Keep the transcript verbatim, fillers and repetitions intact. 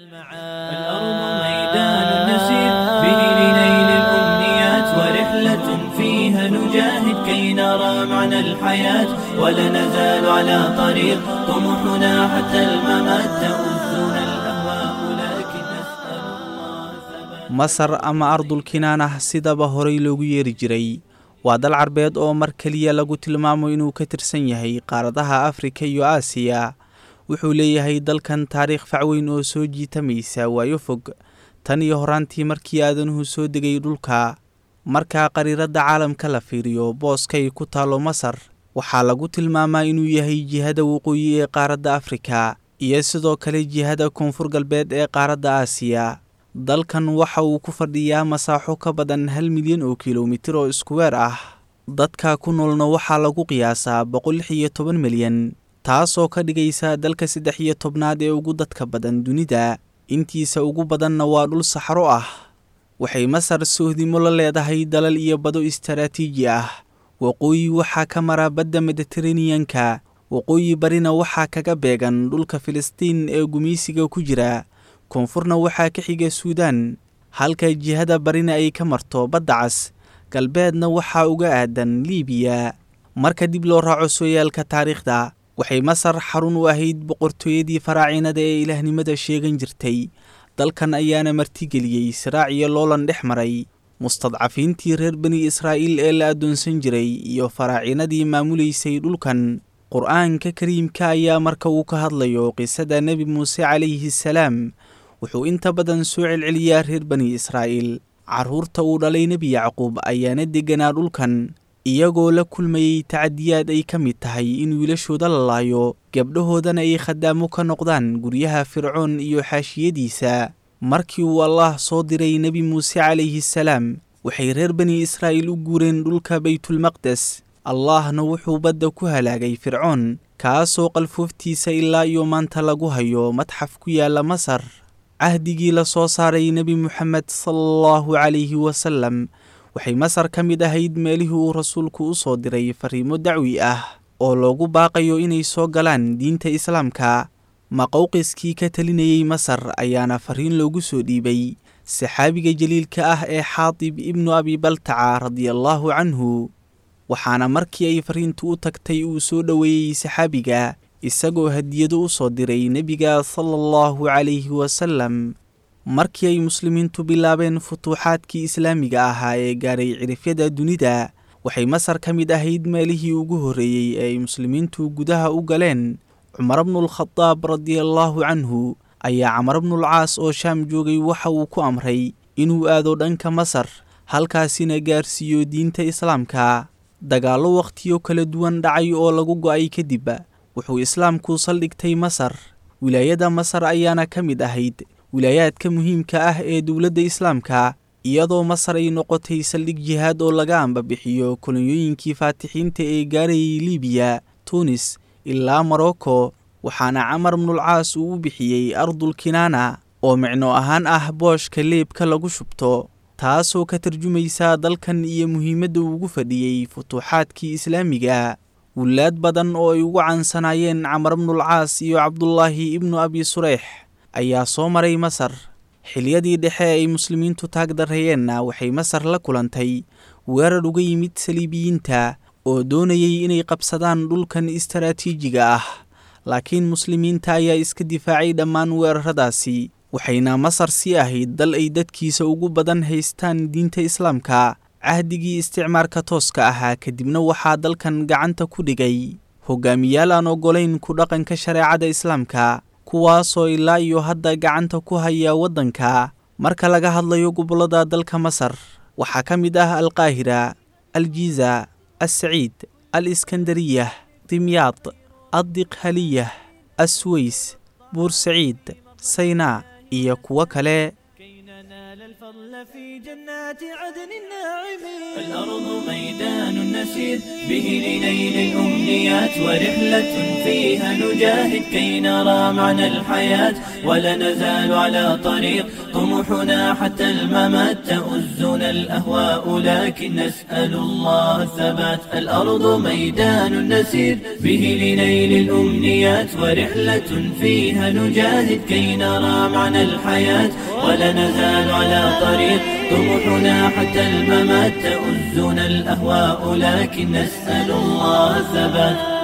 الأرض ميدان نسير به لنيل الأمنيات، ورحلة فيها نجاهد كي نرى معنى الحياة، ولا نزال على طريق طموحنا حتى الممات، تؤذنا الأهواء لكن نسأل الله ثبات. Masar ama Ardul Kinaanah sidaba horay loogu yeeri jiray waa dal Carbeed oo mar keliya lagu tilmaamo inuu ka tirsan yahay qaaradaha Afrika iyo Aasiya. Wuxuu leeyahay dalkan taariikh facweyn oo soo jiitamaysa waayo fog, tan iyo horaantii markii aadanuhu soo degay dhulka. Marka qariiradda caalamka la fiiriyo, booskay ku taalo Masar waxaa lagu tilmaamaa inuu yahay jihada waqooyi ee qaaradda Afrika iyo sidoo kale jihada koonfur galbeed ee qaaradda Aasiya. Dalkan waxa uu ku fadhiyaa masaaxo ka badan hal milyan oo kilomitir oo iskuweer ah. Dadka ku noolna waxaa lagu qiyaasaa boqol lix iyo toban milyan, taasoo ka dhigaysa dalka saddex iyo tobnaad ee ugu dadka badan dunida. Intiisa ugu badanna waa dhul saxro ah. Waxay Masar sohdimo la leedahay dalal iyo bado istaraatiiji ah. Waqooyi waxaa ka mara badda Mediteraneanka, waqooyi barina waxaa kaga beegan dhulka Filistiin ee gumaysiga ku jira, koonfurna waxaa ka xiga Suudaan, halka jihada barina ay ka marto Badda Cas, galbeedna waxaa uga aadan Liibiya. Marka dib loo raaco sooyaalka taariikhda, waxay Masar xarun u ahayd boqortooyadii faraacinada ee ilaahnimada sheegan jirtay. Dalkan ayaana martigeliyey siraac iyo loolan dhex maray mustadcafiintii reer Bani Israa'iil ee la addoonsan jiray iyo faraacinadii maamulaysay dhulkan. Qur-aanka Kariimka ayaa marka uu ka hadlayo qisada Nebi Muuse calayhi salaam wuxuu inta badan soo celceliyaa reer Bani Israa'iil. Carruurta uu dhalay Nebi Yacquub ayaana degganaa dhulkan, iyagoo la kulmayey tacadiyaad ay ka mid tahay in wiilashooda la laayo, gabdhahoodana ay khadaamo ka noqdaan guryaha Fircoon iyo xaashiyadiisa. Markii uu Allaah soo diray Nebi Muuse calayhi salaam, waxay reer Bani Israa'iil u guureen dhulka Baytulmaqdes. Allaahna wuxuu badda ku halaagay Fircoon, kaasoo qalfooftiisa ilaa iyo maanta lagu hayo madxaf ku yaala Masar. Cahdigii la soo saaray Nebi Muxamed sala allahu calayhi wasalam, waxay Masar ka mid ahayd meelihii uu rasuulku u soo diray fariimo dacwi ah oo loogu baaqayo inay soo galaan diinta Islaamka. Maqowqiskii ka talinayey Masar ayaana fariin loogu soo dhiibay saxaabiga jaliilka ah ee Xaatib ibnu Abi Baltaca radiallahu canhu, waxaana markii ay fariintu u tagtay uu soo dhoweeyey saxaabiga, isagoo hadiyado u soo diray nebiga sala allahu calayhi wasalam. Markii ay muslimiintu bilaabeen futuuxaadkii islaamiga ahaa ee gaaray cirifyada dunida, waxay Masar ka mid ahayd meelihii ugu horreeyey ee ay muslimiintu gudaha u galeen. Cumar bnulkhadaab radiallahu canhu ayaa Camar bnulcaas oo Shaam joogay waxa uu ku amray inuu aado dhanka Masar, halkaasina gaarsiiyo diinta Islaamka. Dagaallo wakhtiyo kala duwan dhacay oo lagu go'ay kadib, wuxuu Islaamku saldhigtay Masar. Wilaayada Masar ayaana ka mid ahayd wilaayaadka muhiimka ah ee dowladda Islaamka, iyadoo Masar ay noqotay saldhig jihaad oo laga ambabixiyo kolonyooyinkii faatixiinta ee gaarayay Liibiya, Tuunis ilaa Morocco. Waxaana Camar bnulcaas uu u bixiyey Ardul Kinaana, oo micno ahaan ah booshka leebka lagu shubto, taasoo ka tarjumaysa dalkan iyo muhiimadda uu ugu fadhiyey futuuxaadkii islaamiga. Wulaad badan oo ay ugu cansanaayeen Camar bnulcaas iyo Cabdulaahi ibnu Abi Sureyx ayaa soo maray Masar. Xiliyadii dhexe ay muslimiintu taag darreeyeenna, waxay Masar la kulantay weerar uga yimid saliibiyiinta oo doonayay inay qabsadaan dhulkan istaraatiijiga ah, laakiin muslimiinta ayaa iska difaacay dhammaan weeraradaasi, waxayna Masar sii ahayd dal ay dadkiisa ugu badan haystaan diinta Islaamka. Cahdigii isticmaarka tooska ahaa kadibna waxaa dalkan gacanta ku dhigay hogaamiyaal aan ogolayn ku dhaqanka shareecada Islaamka, kuwaasoo ilaa iyo hadda gacanta ku haya waddanka. Marka laga hadlayo gobollada dalka Masar, waxaa ka mid ah Alqaahira, Aljiiza, Alsaciid, Aliskandariyah, Dimyaad, Addiqhaliyah, Asways, Buursaciid, Saynaa iyo kuwo kale. كي ننال الفضل في جنات عدن الناعمين. الأرض ميدان نسير به لنيل الأمنيات، ورحلة فيها نجاهد كي نرى معنى الحياة، ولا نزال على طريق طموحنا حتى الممات. تؤزنا الأهواء لكن نسأل الله الثبات. الأرض ميدان نسير به لنيل الأمنيات، ورحلة فيها نجاهد كي نرى معنى الحياة، ولا نزال على طريق طموحنا حتى الممات. تؤزنا الأهواء لكن نسأل الله الثبات.